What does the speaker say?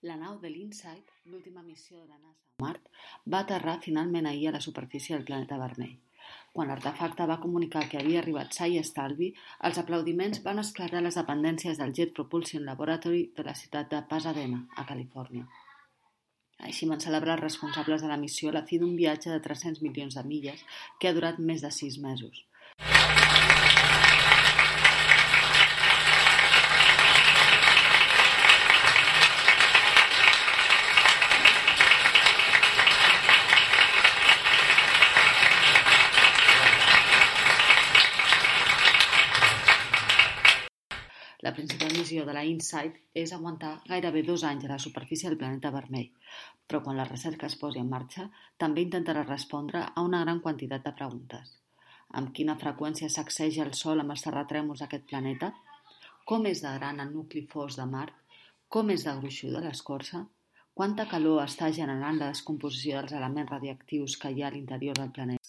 La nau de l'InSight, l'última missió de la NASA a Mart, va aterrar finalment ahir a la superfície del planeta vermell. Quan l'artefacte va comunicar que havia arribat sa i estalvi, els aplaudiments van esclatar a les dependències del Jet Propulsion Laboratory de la ciutat de Pasadena, a Califòrnia. Així van celebrar els responsables de la missió a la fi d'un viatge de 300 milions de milles que ha durat més de 6 mesos. La principal missió de la InSight és aguantar gairebé 2 anys a la superfície del planeta vermell, però quan la recerca es posi en marxa, també intentarà respondre a una gran quantitat de preguntes. Amb quina freqüència sacseja el Sol amb els terratrèmols d'aquest planeta? Com és de gran el nucli fos de Mart? Com és de gruixuda l'escorça? Quanta calor està generant la descomposició dels elements radioactius que hi ha a l'interior del planeta?